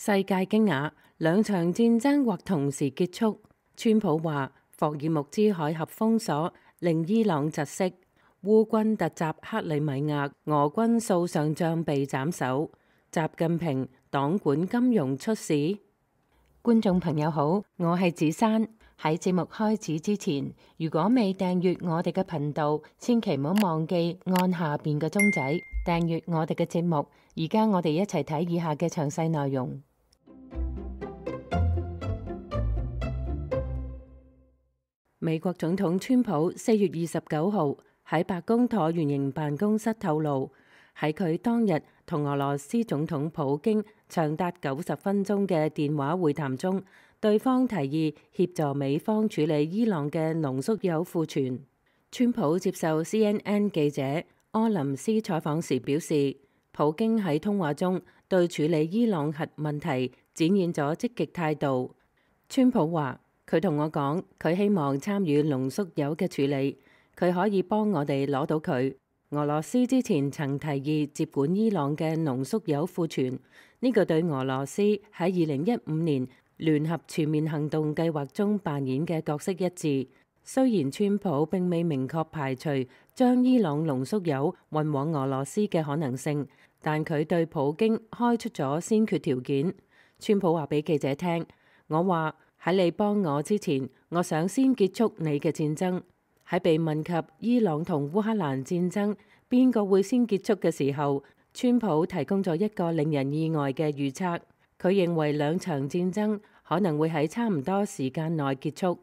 世界驚訝，兩場戰爭或同時結束。川普話霍爾木茲海峽封鎖令伊朗窒息。烏軍突襲克里米亞，俄軍數上將被斬首。習近平黨管金融出事。觀眾朋友好，我係子珊。喺節目開始之前，如果未訂閱我哋嘅頻道，千祈唔好忘記按下邊嘅鐘仔訂閱我哋嘅節目。而家我哋一齊睇以下嘅詳細內容。美國總統川普4月29號喺白宮橢圓形辦公室透露，喺佢當日同俄羅斯總統普京長達90分鐘嘅電話會談中，對方提議協助美方處理伊朗嘅濃縮鈾庫存。川普接受 CNN 記者柯林斯採訪時表示，普京喺通話中對處理伊朗核問題展現咗積極態度。川普話：佢同我講，佢希望參與濃縮鈾嘅處理，佢可以幫我哋攞到佢。俄羅斯之前曾提議接管伊朗嘅濃縮鈾庫存，呢個對俄羅斯喺2015年聯合全面行動計劃中扮演嘅角色一致。雖然川普並未明確排除將伊朗濃縮鈾運往俄羅斯嘅可能性，但佢對普京開出咗先決條件。川普話俾記者聽：我話喺你幫我之前，我想先結束你嘅戰爭。喺被問及伊朗同烏克蘭戰爭邊個會先結束嘅時候，川普提供咗一個令人意外嘅預測。佢認為兩場戰爭可能會喺差唔多時間內結束。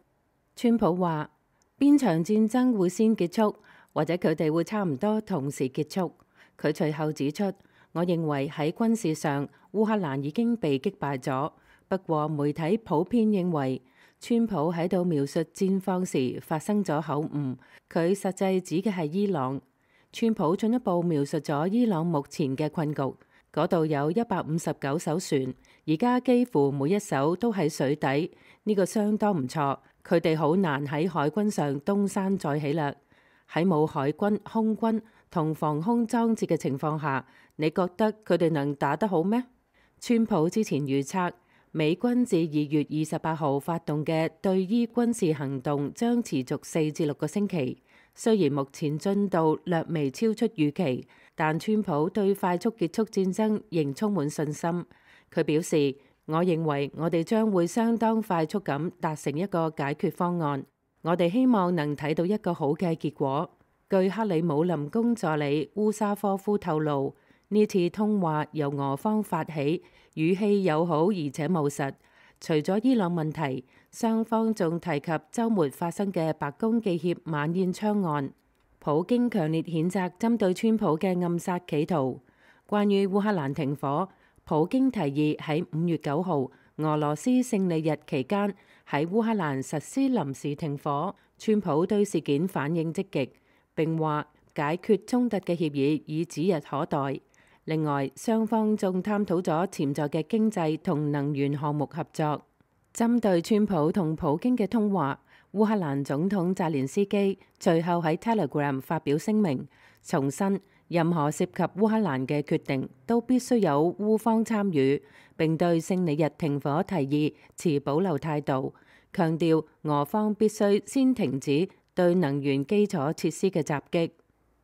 川普話：邊場戰爭會先結束，或者佢哋會差唔多同時結束。佢隨後指出：我認為喺軍事上，烏克蘭已經被擊敗咗。不過媒體普遍認為，川普喺度描述戰況時發生咗口誤，佢實際指嘅係伊朗。川普進一步描述咗伊朗目前嘅困局，嗰度有159艘船，而家幾乎每一艘都喺水底，呢個相當唔錯。佢哋好難喺海軍上東山再起啦。喺冇海軍、空軍同防空裝置嘅情況下，你覺得佢哋能打得好咩？川普之前預測，美軍自2月28號發動嘅對伊軍事行動將持續4至6個星期。雖然目前進度略微超出預期，但川普對快速結束戰爭仍充滿信心。佢表示：我認為我哋將會相當快速咁達成一個解決方案。我哋希望能睇到一個好嘅結果。據克里姆林宮助理烏沙科夫透露，呢次通話由俄方發起，語氣友好而且務實。除咗伊朗問題，雙方仲提及週末發生嘅白宮記協晚宴槍案。普京強烈譴責針對川普嘅暗殺企圖。關於烏克蘭停火，普京提議喺5月9號俄羅斯勝利日期間喺烏克蘭實施臨時停火。川普對事件反應積極，並話解決衝突嘅協議已指日可待。另外，雙方仲探討咗潛在嘅經濟同能源項目合作。針對川普同普京嘅通話，烏克蘭總統澤連斯基隨後喺 Telegram 發表聲明，重申任何涉及烏克蘭嘅決定都必須有烏方參與，並對勝利日停火提議持保留態度，強調俄方必須先停止對能源基礎設施嘅襲擊。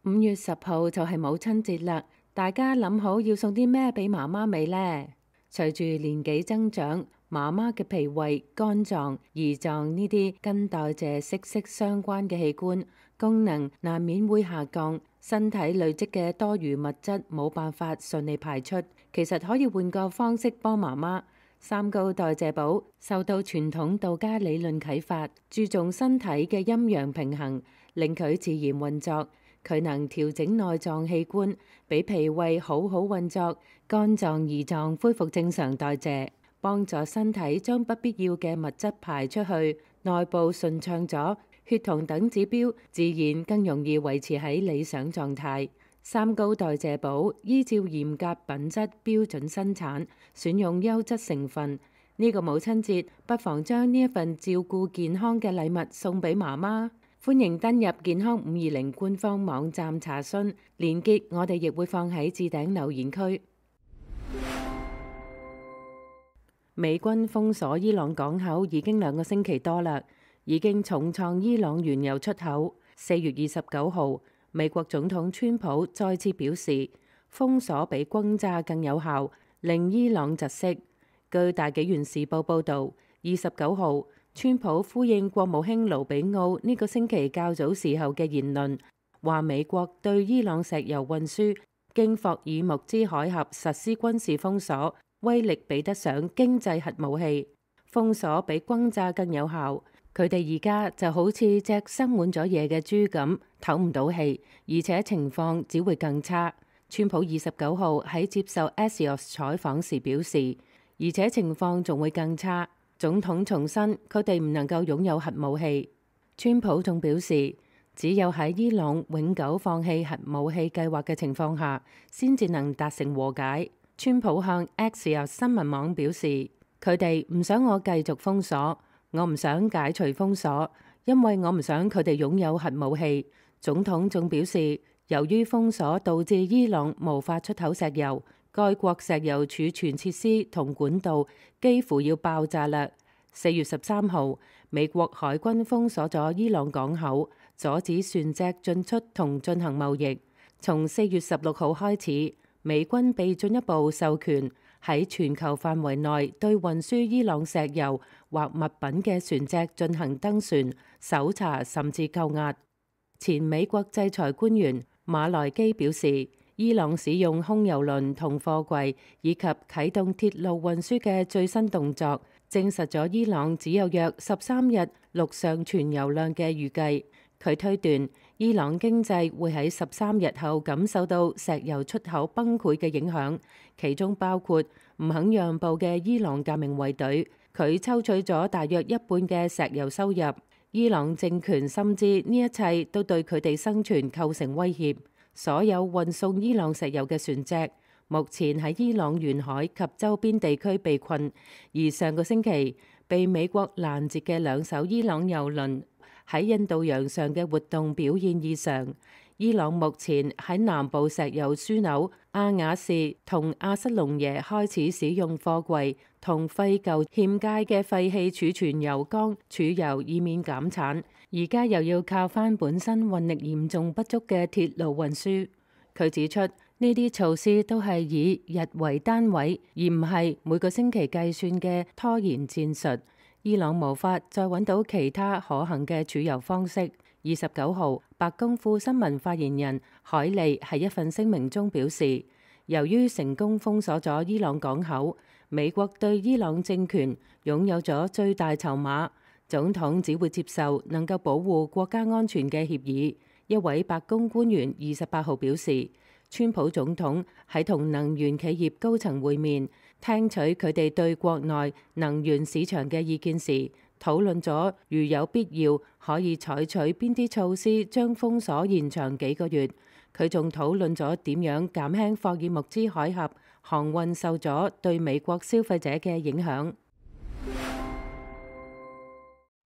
5月10號就係母親節啦。大家諗好要送啲咩俾媽媽未呢？隨住年紀增長，媽媽嘅脾胃、肝臟、胰臟呢啲跟代謝息息相關嘅器官功能難免會下降，身體累積嘅多餘物質冇辦法順利排出。其實可以換個方式幫媽媽。三高代謝寶受到傳統道家理論啟發，注重身體嘅陰陽平衡，令佢自然運作。佢能調整內臟器官，俾脾胃好好運作，肝臟、胰臟恢復正常代謝，幫助身體將不必要嘅物質排出去，內部順暢咗，血糖等指標自然更容易維持喺理想狀態。三高代謝寶依照嚴格品質標準生產，選用優質成分。呢個母親節，不妨將呢一份照顧健康嘅禮物送俾媽媽。歡迎登入健康520官方網站查詢，連結我哋亦會放喺置頂留言區。美軍封鎖伊朗港口已經2個星期多啦，已經重創伊朗原油出口。4月29號，美國總統川普再次表示，封鎖比轟炸更有效，令伊朗窒息。據大紀元時報報導，29號，川普呼應國務卿盧比奧呢個星期較早時候嘅言論，話美國對伊朗石油運輸經霍爾木茲海峽實施軍事封鎖，威力比得上經濟核武器，封鎖比轟炸更有效。佢哋而家就好似隻生滿咗嘢嘅豬咁，唞唔到氣，而且情況只會更差。川普29號喺接受 Axios 採訪時表示，而且情況仲會更差。總統重申佢哋唔能夠擁有核武器。川普仲表示，只有喺伊朗永久放棄核武器計劃嘅情況下，先至能達成和解。川普向 Axios 新聞網表示，佢哋唔想我繼續封鎖，我唔想解除封鎖，因為我唔想佢哋擁有核武器。總統仲表示，由於封鎖導致伊朗無法出口石油，該國石油儲存設施同管道幾乎要爆炸啦。4月13號，美國海軍封鎖咗伊朗港口，阻止船隻進出同進行貿易。從4月16號開始，美軍被進一步授權喺全球範圍內對運輸伊朗石油或物品嘅船隻進行登船、搜查甚至扣押。前美國制裁官員馬萊基表示，伊朗使用空油輪同貨櫃以及啟動鐵路運輸嘅最新動作，證實咗伊朗只有約13日陸上存油量嘅預計。佢推斷伊朗經濟會喺13日後感受到石油出口崩潰嘅影響，其中包括唔肯讓步嘅伊朗革命衛隊，佢抽取咗大約一半嘅石油收入。伊朗政權深知呢一切都對佢哋生存構成威脅。所有運送伊朗石油嘅船隻目前喺伊朗沿海及周邊地區被困，而上個星期被美國攔截嘅2艘伊朗油輪喺印度洋上嘅活動表現異常。伊朗目前喺南部石油樞紐阿瓦士同阿塞隆耶開始使用貨櫃同廢舊欠佳嘅廢氣儲存油缸儲油，以免減產。而家又要靠返本身運力嚴重不足嘅鐵路運輸。佢指出，呢啲措施都係以日為單位，而唔係每個星期計算嘅拖延戰術。伊朗無法再揾到其他可行嘅儲油方式。29號，白宮副新聞發言人海利喺一份聲明中表示，由於成功封鎖咗伊朗港口，美國對伊朗政權擁有咗最大籌碼，總統只會接受能夠保護國家安全嘅協議。一位白宮官員28號表示，川普總統喺同能源企業高層會面，聽取佢哋對國內能源市場嘅意見時，討論咗如有必要可以採取邊啲措施將封鎖延長幾個月。佢仲討論咗點樣減輕霍爾木茲海峽航運受阻對美國消費者嘅影響。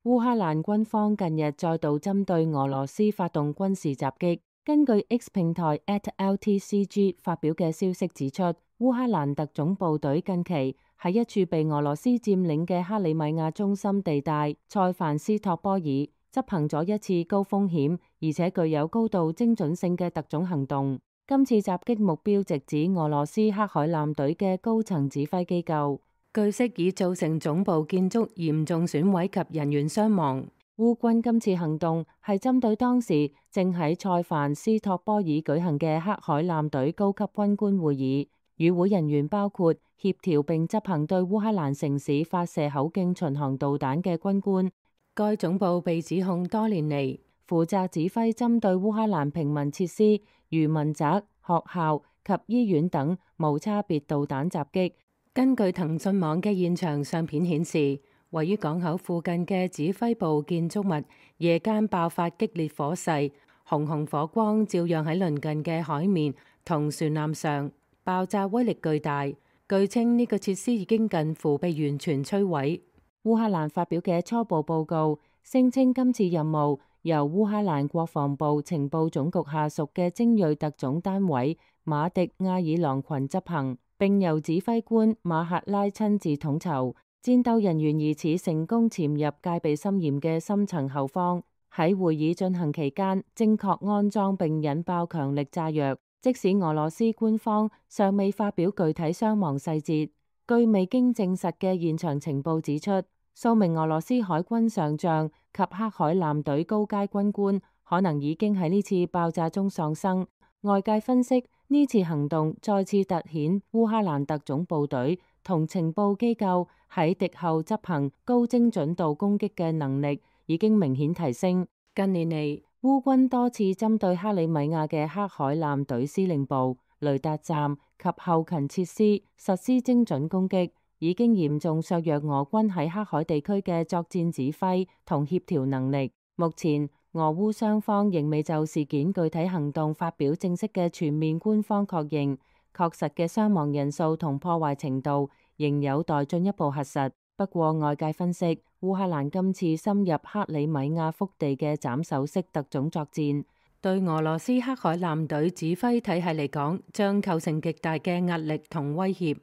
烏克蘭軍方近日再度針對俄羅斯發動軍事襲擊。根據 X 平台 @LTCG 發表嘅消息指出，烏克蘭特種部隊近期喺一處被俄羅斯佔領嘅克里米亞中心地帶塞凡斯托波爾執行咗一次高風險而且具有高度精準性嘅特種行動。今次襲擊目標直指俄羅斯黑海艦隊嘅高層指揮機構，據悉已造成總部建築嚴重損毀及人員傷亡。烏軍今次行動係針對當時正喺塞凡斯托波爾舉行嘅黑海艦隊高級軍官會議，與會人員包括協調並執行對烏克蘭城市發射口徑巡航導彈嘅軍官。該總部被指控多年嚟負責指揮針對烏克蘭平民設施如民宅、學校及醫院等無差別導彈襲擊。根據騰訊網嘅現場相片顯示，位於港口附近嘅指揮部建築物夜間爆發激烈火勢，紅紅火光照耀喺鄰近嘅海面同船艦上，爆炸威力巨大。據稱呢個設施已經近乎被完全摧毀。烏克蘭發表嘅初步報告聲稱，今次任務由烏克蘭國防部情報總局下屬嘅精銳特種單位馬迪亞爾狼群執行，並由指揮官馬赫拉親自統籌。戰鬥人員疑似成功潛入戒備森嚴嘅深層後方，喺會議進行期間正確安裝並引爆強力炸藥。即使俄羅斯官方尚未發表具體傷亡細節，據未經證實嘅現場情報指出，數名俄羅斯海軍上將及黑海艦隊高階軍官可能已經喺呢次爆炸中喪生。外界分析，呢次行動再次凸顯烏克蘭特種部隊同情報機構喺敵後執行高精準度攻擊嘅能力已經明顯提升。近年嚟，烏軍多次針對克里米亞嘅黑海艦隊司令部、雷達站及後勤設施實施精準攻擊，已經嚴重削弱俄軍喺黑海地區嘅作戰指揮同協調能力。目前，俄烏雙方仍未就事件具體行動發表正式嘅全面官方確認，確實嘅傷亡人數同破壞程度仍有待進一步核實。不過，外界分析，烏克蘭今次深入克里米亞腹地嘅斬首式特種作戰，對俄羅斯黑海艦隊指揮體系嚟講，將構成極大嘅壓力同威脅。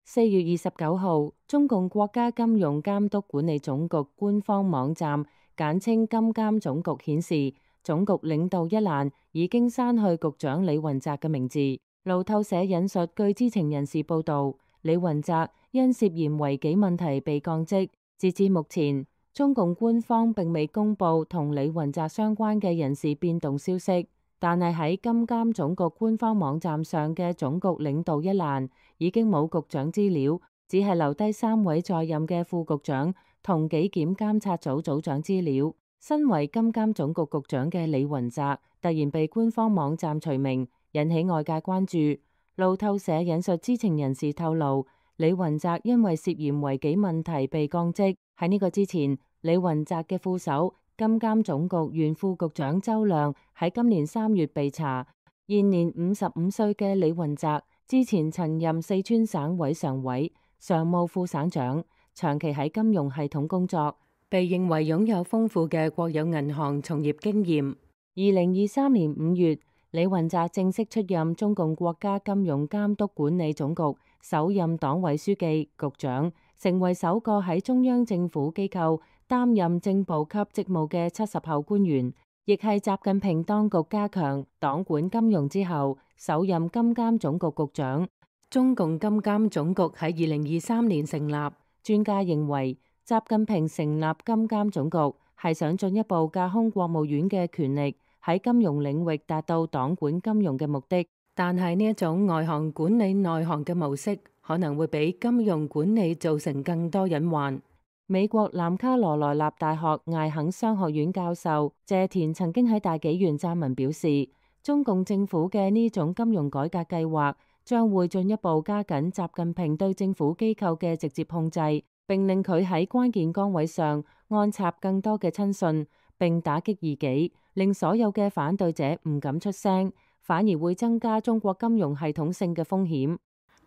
4月29號，中共國家金融監督管理總局官方網站簡稱金監總局顯示，總局領導一欄已經刪去局長李雲澤嘅名字。路透社引述據知情人士報道，李雲澤因涉嫌違紀問題被降職。截至目前，中共官方並未公布同李雲澤相關嘅人事變動消息，但係喺金監總局官方網站上嘅總局領導一欄已經冇局長資料，只係留低3位在任嘅副局長同紀檢監察組組長資料。身為金監總局局長嘅李雲澤突然被官方網站除名，引起外界關注。路透社引述知情人士透露，李雲澤因為涉嫌違紀問題被降職。喺呢個之前，李雲澤嘅副手金監總局原副局長周亮喺今年3月被查。現年55歲嘅李雲澤之前曾任四川省委常委、常務副省長，長期喺金融系統工作，被認為擁有豐富嘅國有銀行從業經驗。2023年5月，李雲澤正式出任中共國家金融監督管理總局首任黨委書記、局長，成為首個喺中央政府機構擔任正部級職務嘅70後官員，亦係習近平當局加強黨管金融之後首任金監總局局長。中共金監總局喺2023年成立，專家認為習近平成立金監總局係想進一步架空國務院嘅權力，喺金融領域達到黨管金融嘅目的。但係呢一種外行管理內行嘅模式，可能會俾金融管理造成更多隱患。美國南卡羅來納大學艾肯商學院教授謝田曾經喺大紀元撰文表示，中共政府嘅呢種金融改革計劃將會進一步加緊習近平對政府機構嘅直接控制，並令佢喺關鍵崗位上安插更多嘅親信，並打擊異己，令所有嘅反對者唔敢出聲，反而會增加中國金融系統性嘅風險。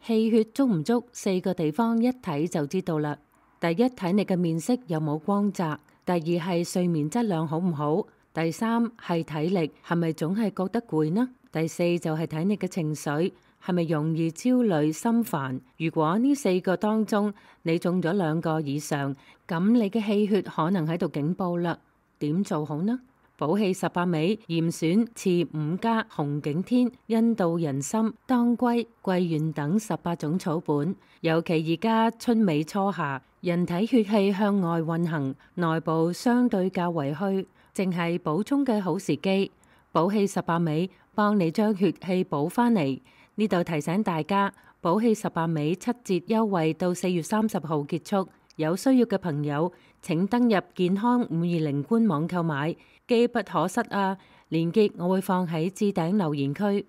氣血足唔足，4個地方一睇就知道啦。第一，睇你嘅面色有冇光澤；第二係睡眠質量好唔好；第三係體力係咪總係覺得攰呢？第四就係睇你嘅情緒係咪容易焦慮心煩。如果呢4個當中你中咗2個以上，咁你嘅氣血可能喺度警報啦。點做好呢？補氣18味嚴選次5加紅景天、印度人參、當歸、桂圓等18種草本，尤其而家春尾初夏，人體血氣向外運行，內部相對較為虛，正係補充嘅好時機。補氣18味幫你將血氣補返嚟。呢度提醒大家，補氣18味7折優惠到4月30號結束。有需要嘅朋友請登入健康520官網購買，機不可失啊！鏈接我會放喺置頂留言區。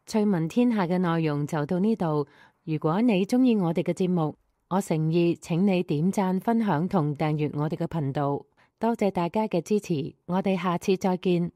趣聞天下嘅內容就到呢度。如果你鍾意我哋嘅節目，我誠意請你點讚、分享同訂閱我哋嘅頻道。多謝大家嘅支持，我哋下次再見。